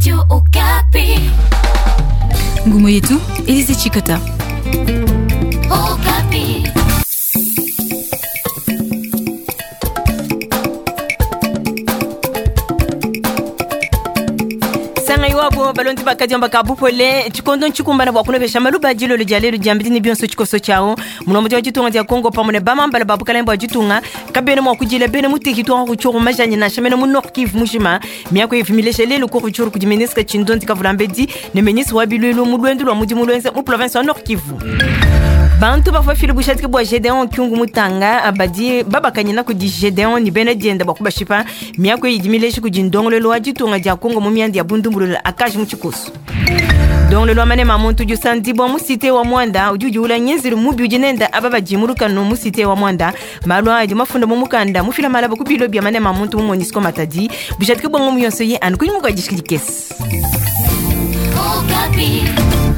Radio Okapi. Ngumu yetu Elise Chikota. Okapi. Sanga iwabo balondi bakadiomba ka bupole tshikondo ntshikumbana bua kunopesha maluba dilolo dia lelu diambidi ne bionso tshikoso tshiawu mulombodi wa ditunga dia Kongo pamue ne bamambala ba bukalenge bua ditunga kabena mua kudila bena mu territoire Rutshuru majani nansha mena mu Nord Kivu mujima. Miaku ivu milesha lelu ku Rutshuru kudi ministre Tshindondi Kavulambedi ne ministre wa bilulu mu luendu lua mudimu luenza mu province wa Nord Kivu. Bantu bavua bafile bushadiki bua Gedeon Kyungu Mutanga badi babakanyina kudi Gedeon ne bena dienda bua kubashipa. Miaku idi mileji kudi ndongoluelu wa ditunga dia Kongo mu mianda ya bundumbulula akaji mu tshikoso. Ndongoluelu wa manema a muntu udi usandibua mu cité wa Muanda udi udiula ngenzelu mubi udi nenda aba badi mu lukanu mu cité wa Muanda. Malu aa adi mafunda mu mukanda mufila malaba ku bilo bia manema a muntu mu Monusco Matadi. Bushadiki bua ngomu yonso ye anu kunyima kua dishiki dikese.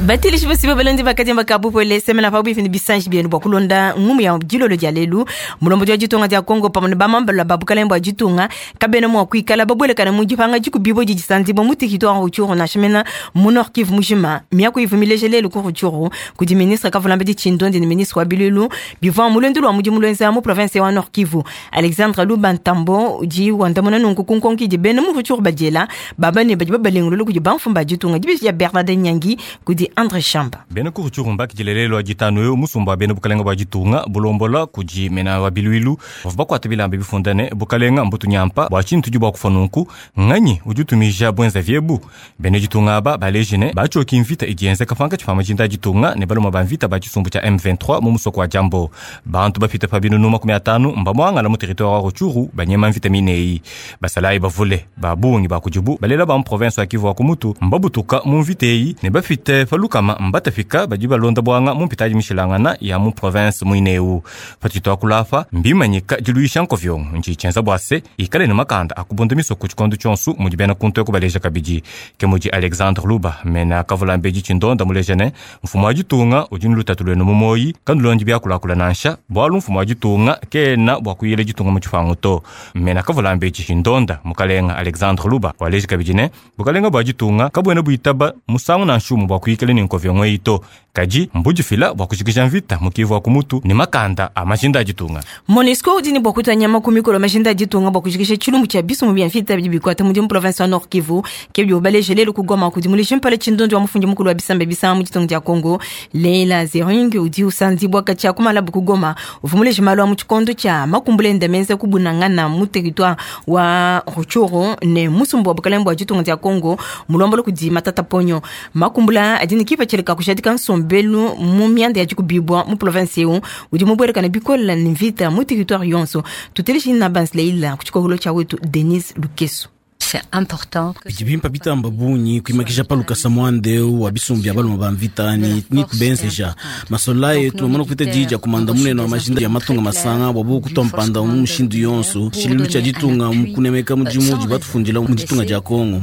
Batilishi bosi balondi bakadiamba ka bupole semena pa bwifi ne bisanji bienu bua kulonda ngumu ya dilolo dia lelu. Mulombodi wa ditunga dia Kongo pamue ne bamambala ba bukalenge bua ditunga kabena mua kuikala babuelekana mu dipanga dikubibo didi disandibua mu territoire Rutshuru nansha mena mu Nord Kivu mujima. Miaku ivu mileja lelu ku Rutshuru kudi ministre Kavulambedi Tshindondi ne ministre wa bilulu bivua mu luendu lua mudimu luenza mu province wa Nord Kivu. Alexandre Luba Ntambo udi wandamuna nunku ku nkonko idi bena mu Rutshuru badiela baba ne badi babalengulula kudi bamfumu ba ditunga. Dibeji dia Bernard Nyangi kudi Andre Shamba. Bena ku Rutshuru mbakidile lelu wa ditanu eu musumba wa bena bukalenga bua ditunga bulombola kudi mena wa biluilu bavua bakuata bilamba bifunda ne bukalenga mbutu nyampa bua tshintu tudi bua kufa nunku nganyi udi utumija buenza viebu. Bena ditunga aba baleji ne batshioki mvita idi yenzeka pankatshi pa majinda a ditunga ne baluma ba mvita ba tshisumbu tshia M23 mu musoko wa Jambo. Bantu bapite pa binunu makumi atanu mbamuangala mu territoire wa Rutshuru banyema mvita mineyi. Basalayi bavule ba bungi ba kudibu balela ba mu province wa Kivu wa Kumutu mbabutuka mu mvita eyi ne bapite pa lukama mbatafika badi balonda bwanga mu mpitadi mishilangana ya mu province muineu. Patshito akulapa mbimanyika diluisha nkovyongo ntshitshenza bua se ikale ne makanda akubunda misoko tshikondo tshionso mudi bena kuntu ekubaleja kabidi. Ke mudi Alexandre Luba mena Kavulambedi Tshindonda muleja ne mfumu wa ditunga udi ne lutatu luenu mu moyi kandulondi biakulakula nansha bualu mfumu wa ditunga kena bua kuyila ditunga mu tshipangu to. Mena Kavulambedi Tshindonda mukalenga Alexandre Luba waleja kabidi ne bukalenga bua ditunga kabuena buitaba musangu nansha umue bua kuyikala ne nkovyongo eyi to. Kadi mbudifila bua kujikija mvita mu Kivu wa Kumutu ne makanda a majinda a ditunga. Monusco udi ne bua kutua nyama ku mikolo majinda a ditunga bua kujikija tshilumbu tshia bisumbu bia mvita bidi bikuata mudimu province wa Nord Kivu. Ke bidi baleje lelu ku Goma kudi muleji mpala Tshindondi wa mufundi mukulu wa bisamba bisanga mu ditunga dia Kongo. Leila Zering udi usandibua katshia ku malabu ku Goma. Uvua muleji malu a mu tshikondo tshia makumbula enda menza kubunangana mu territoire wa Rutshuru ne musumbu wa bukalenge bua ditunga dia Kongo mulombola kudi Matata Ponyo. Makumbula adi ne kipatshila ka kujadika nsombelu mu mianda ya dikubibua mu province eu udi mubuelekana bikole ne mvita mu territoire yonso. Tuteleji na Banz Leila ku tshikokolo tshia wetu Denise Lukeso. C'est important. Bidi bimpa bitamba bungi kuimakisha pa lukasa muandeu wa bisumbu bia baluma ba mvita ni kubenzeja masola yetu bamana kupita diji dia kumanda munene wa majinda ya matunga masanga bua bokutua mpanda mu mushindu yonso tshilulu tshia ditunga mu kunemeka mudimu udi batufundila mu ditunga dia Kongo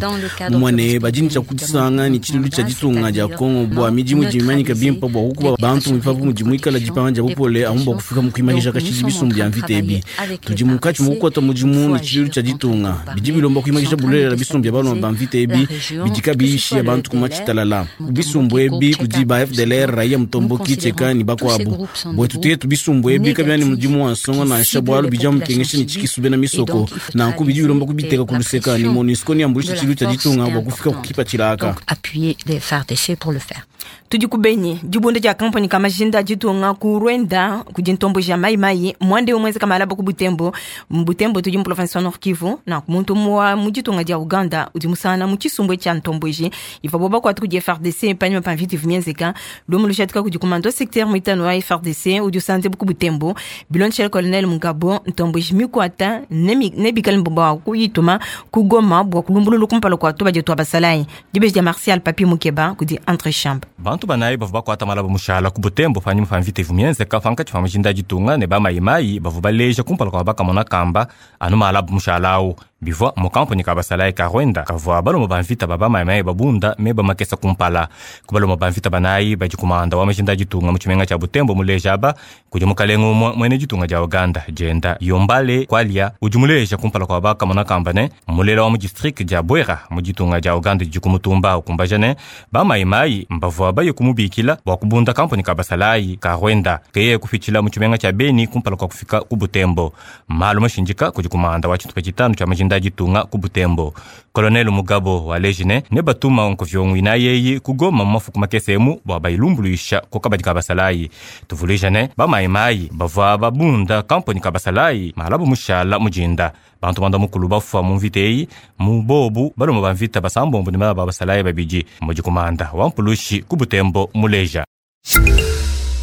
mumwane badini tshia kudisanga ni tshilulu tshia ditunga dia Kongo bua midimu idi mimanyika bimpa bua kukuba bantu muipapu mudi muikala dipanga dia bupole amu bua kufika mu kuimakisha kashidi bisumbu bia mvita ebi tudi munkatshi mu kukuata mudimu ni tshilulu tshia ditunga bidi bilomba kuimakisha bulelela bisumbu bia baluma ba mvita ebi bidi kabiyishi bantu kuma tshitalala. Bisumbu ebi kudi ba FDLR raia mutomboki tsheka ni bakuabu bwetu tuyetu bisumbu ebi kabiani mudimu wa nsongo nansha bualu bija mukengesha ni tshikisu bena misoko nanku bidi bilomba kubiteka kuluseka ni MONUSCO ni ambulisha tshilu tshia ditunga bua kufika kukipa tshilaka. Appuyer les FARDC pour le faire. Tudi ku Beni, dibunda dia kampani ka majinda a ditunga ku Rwanda kudi ntombo ja mai mai mwande umweze kamalaba ku Butembo. Butembo tudi mu province wa Nord Kivu na muntu mwa mu ditunga dia Uganda udi musana mu tshisumbu tshia ntomboji iva boba kwatu kudi FARDC panyima pa mvita ivumyenzeka lumu lushatika kudi commando secteur muitano wa FARDC udi usanze ku Butembo bilonshela colonel Mugabo ntomboji mikwata nebikale mbomba wa kuyituma ku Goma bua kulumbululu kumpala kwa tuba dia twabasalayi dibeji dia Martial Papi Mukeba kudi Entre Chambre. Bantu banayi bavua bakuata malaba mushala ku Butembo panyima pa mvita ivumyenzeka pankatshi pa majinda a ditunga ne bamayimayi bavua baleja kumpala kua bakamona kamba anu malaba mushala awu. Bivua mu kampuni ka basalayi ka Rwanda kavua baloma ba mvita ba bamayimayi babunda meba makesa kumpala. Ku baloma ba mvita banayi badi kumanda wa majinda a ditunga mu tshimenga tshia Butembo muleja aba kudi mukalenga umue muena ditunga dia Uganda dienda Yombale Kwalia udi muleja kumpala kua bakamona kamba ne mulela wa mu district dia Bwera mu ditunga dia Uganda didi kumutumba ukumbaja ne bamayimayi mbavua baye kumubikila bua kubunda kampuni ka basalayi ka Rwanda keye kupitshila mu tshimenga tshia Beni kumpala kua kufika ku Butembo. Malu mashindika kudi kumanda wa tshitupa tshitanu tshia majinda a ditunga ku Butembo. Colonel Mugabo waleji ne ne batuma nkovyongo inayeyi ku Goma mu mafuku makese emu bua bayilumbuluisha ku kabadi ka basalayi. Tuvuluija ne bamayimayi bavua babunda kampuni ka basalayi malabu mushala mujinda. Bantu banda mukulu bafua mu mvita eyi mu bobu baloma ba mvita basambombo ne bana ba basalayi babidi mudi kumanda wa mpulushi ku Butembo muleja.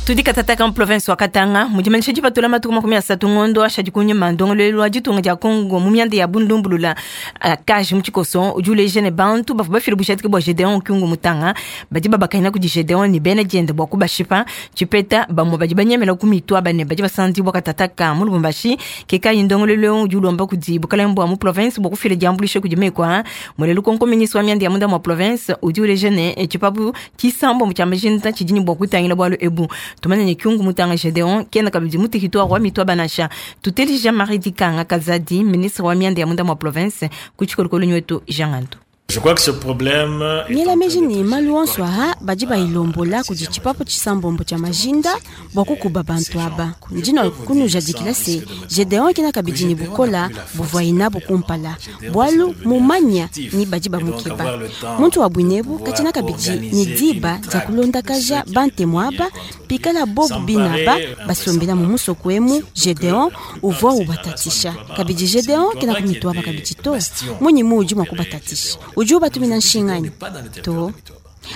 Tudi katataka mu province wa Katanga mudimanyisha dipatula matuku 30 ngondo ashadi kunyima ndongoluelu wa ditunga dia Congo mu mianda ya bundumbulula kaji mu tshikoso udi uleja ne bantu bavua bafile bujadiki bua Gedeon Kyungu Mutanga badi babakanyina kudi Gedeon ne bena diende bua kubashipa tshipeta bamue badi banyemela ku mitu aba ne badi basandibua katataka mu Lubumbashi ke kayi ndongoluelu udi ulomba kudi bukalenge bua mu province bua kufila diambuluisha kudi mekwa mulelu konko ministre wa mianda ya munda mua province udi uleja ne tshipapu tshisambo tshia majinda tshidi ne bua kutangila bualu ebu. Tumanye ne Kyungu Mutanga Gedeon kena kabidi mu territoire wa Mitwa Banasha. Tuteli Jean-Marie Dikanga Kazadi, ministre wa mianda ya munda mua province, ku tshikolokolo nyetu Jean Ngandu. Je crois que ce problème Miela meji ne malu onso aha badi bayilombola kudi tshipapu tshisambombo tshia majinda bua kukuba bantu aba. Ndino kunujadikila se Gedeon kena kabidi ne bukola buvua inabu kumpala bualu mumanya ni badi bamukeba. Muntu wa bwinebu katina kabidi ne diba dia kulondakaja bantemu aba pikala bobu binaba basombela mu musoko emu. Gedeon uvua ubatatisha kabidi. Gedeon kena kumitu aba kabidi to munyi muudi mua kubatatisha udi ubatumina nshinganyi to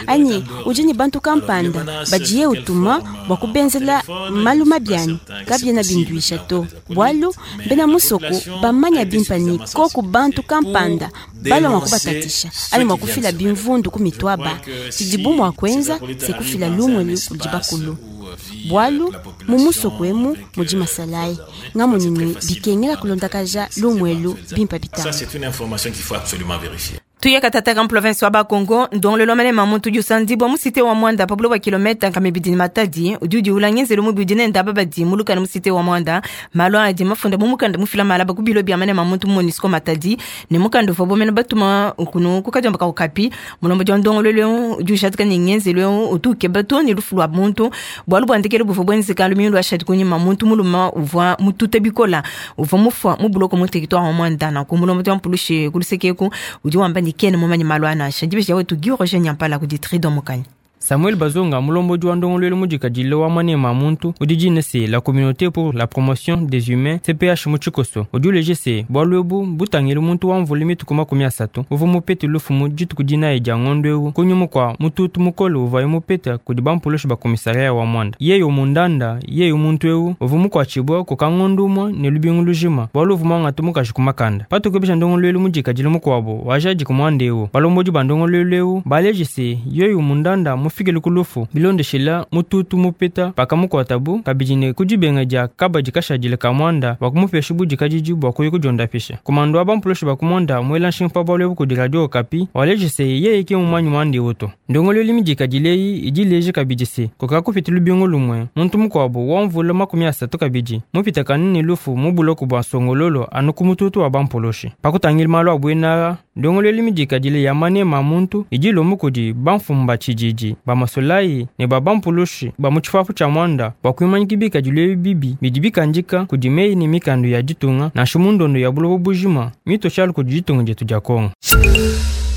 anyi udi ne bantu kampanda badiye utuma bua kubenzela malu mabiani kabiena binduisha to bualu bena musoko bamanya bimpa ni koku bantu kampanda balwa mua kubatatisha anyi mua kufila bimvundu ku mitu aba tshidibu mua kuenza se kufila lumwelu kudi bakulu bualu mu musoko emu mudi masalayi ngamunyi bikengela kulondakaja lumwelu bimpa bitanga. Ça, c'est une information qu'il faut absolument vérifier. Tuye katataka mu province wa Bakongo ndongolelo malema muntu udi usandibua mu cité wa Mwanda pa buloba kilometa nkama ibidi ne Matadi udi udiula ngenzelu mubi udi nenda aba badi mulukana mu cité wa Mwanda malu adi mafunda mu mukanda mufila malaba ku bilo bia manema muntu mu MONUSCO Matadi ne mukanda uvua bomena batuma kunu kukadiomba ka Okapi mulombo dia ndongolelo udi ushatika ne ngenzelu utu ukeba to ne lufu lua muntu bualu bua ndekelu buvua buenzeka lumingu lua shadi kunyima muntu muluma uvua mutute bikola uvua mufua mu buloko mu territoire wa Mwanda nanku mulombo dia mpulushi kulusekeku udi wamba ne kene mumanyi malu anasha dibesha wetu Guy Roger Nyampala kudi Tridon Mukanya. Samuel Bazonga mulombodi wa ndongoluelu mudikadile wa manema muntu udi dina se la communauté pour la promotion des humains CPH mu tshikoso udi uleje se bualu ebu butangile muntu wa mvula mituku 30 uvua mupete lufu mu dituku dinayi dia ngondo ewu kunyuma kua mututu mukole uvuaye mupeta kudi bampulushi ba komisariat wa Mwanda. Yeyo mundanda yeyo muntu ewu uvua mukuatshibua kuka ngondo umue ne lubingu lujima bualu uvua muangata mukaji ku makanda. Patukebesha ndongoluelu mudikadile mukuabu wajadika muanda ewu balombodi ba ndongoluelu ewu baleje se yeyo mundanda mufikile ku lufu bilondeshela mututu mupeta pakamukuatabu kabidi ne kudibenga dia kabadi kashadile ka Mwanda bakumupesha budikadidi bua kuya kudiondapesha. Komando wa bampulushi ba ku Mwanda muela nshinga pa bualu ebu kudi radio Okapi waleje se yeye ke mumanyi muanda ewu to. Ndongoluelu midikadile eyi idi ileja kabidi se kuka kupita lubingu lumue muntu mukuabu wa mvula 30 kabidi mupitakane ne lufu mu buloko bua Songololo anu ku mututu wa bampulushi. Pakutangila malu a buena ndongoluelu midikadile ya manema muntu idi ilomba kudi bamfumu ba tshididi ba masolayi ne ba bampulushi ba mu tshipapu tshia Mwanda bua kuimanyika bikadilu ebi bibi bidi bikandika kudi meyi ne mikandu ya ditunga nansha mu ndondo ya buloba bujima mitotshialu kudi ditunga dietu dia Kongo.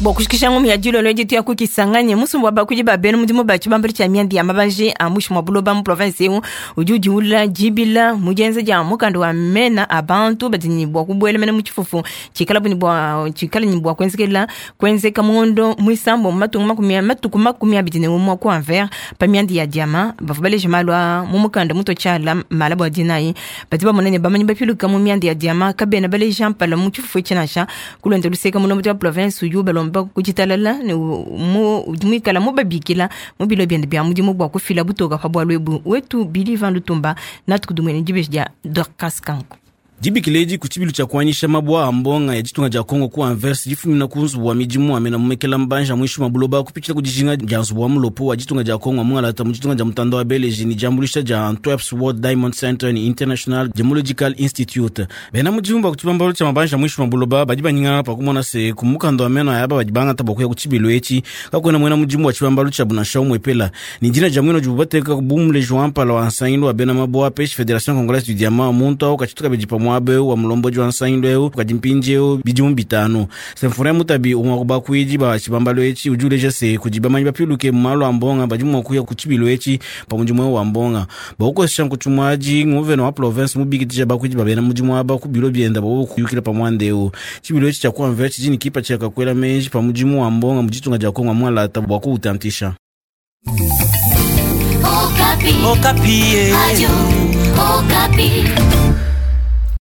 Bua kushikisha ngumu ya dilolo dietu ya kukisanganye musumba wa bakudi ba bena mudimu ba tshibambalu tshia mianda ya mabanji a mushi mua buloba mu province ewu udi udiula dibila mu dienza dia mukanda wa mena a bantu badi ne bua kubuela mena mu tshifufu tshikala bu ne bua tshikala ne bua kuenzekela kuenzeka mu ngondo muisambo mu matunga makumi matuku 21 ku Anvers pa mianda ya diama bavua baleja malu a mu mukanda muto tshiala mala bua dinayi badi bamona ne bamanyi bapiluka mu mianda ya diama kabena baleja mpala mu tshifufu etshi nansha kulonda luseka mulombo wa province udi ubalomba kuditalala ne muikala mubabikila mu bilo biende bia mudimu bua kufila butoka pa bualu ebu wetu Billy Van Lutumba natukudumwene dibeji dia Dorcas Kanko. Dibikila edi ku tshibilu tshia kuanyisha mabua a mbonga ya ditunga dia Kongo ku Anvers difumina ku nzubu wa midimu wa mena mumekela mbanja muinshi mua buloba kupitshila ku dijinga dia nzubu wa mulopo wa ditunga dia Kongo wa mungalata mu ditunga dia mutanda wa Beleji ne diambuluisha dia Antwerp's World Diamond Center ne International Gemological Institute. Bena mudimu ba ku tshibambalu tshia mabanja muinshi mua buloba badi banyingana pa kumona se ku mukanda wa meno aba badi bangata bua kuya ku tshibilu etshi kakuena muena mudimu wa tshibambalu tshia nansha umue pela ne dina dia muena udibu bateka bu muleji wa mpala wa nsangilu wa bena mabua peshi Federation Congolaise du Diamant muntu awu katshituka bidi pa muaba eu wa mulombodi wa nsangilu eu kadi mpindieu bidimu bitanu. Symphorien Mutabi umue wa ku bakuidi ba tshibambalu etshi udi uleja se kudi bamanyi bapiluke mu malu a mbonga badi mua kuya ku tshibilu etshi pa mudimu eu wa mbonga bua kukosesha nkutshimuadi nguvena wa province mubikidisha bakuidi ba bena mudimu aba ku bilo bienda bua kuyukila pa muanda eu. Tshibilu etshi tshia ku Anvers tshidi ne kipatshila ka kuela meji pa mudimu wa mbonga mu ditunga dia Kongo mualata bua kuutantisha. Okapi. Okapi. Radio Okapi.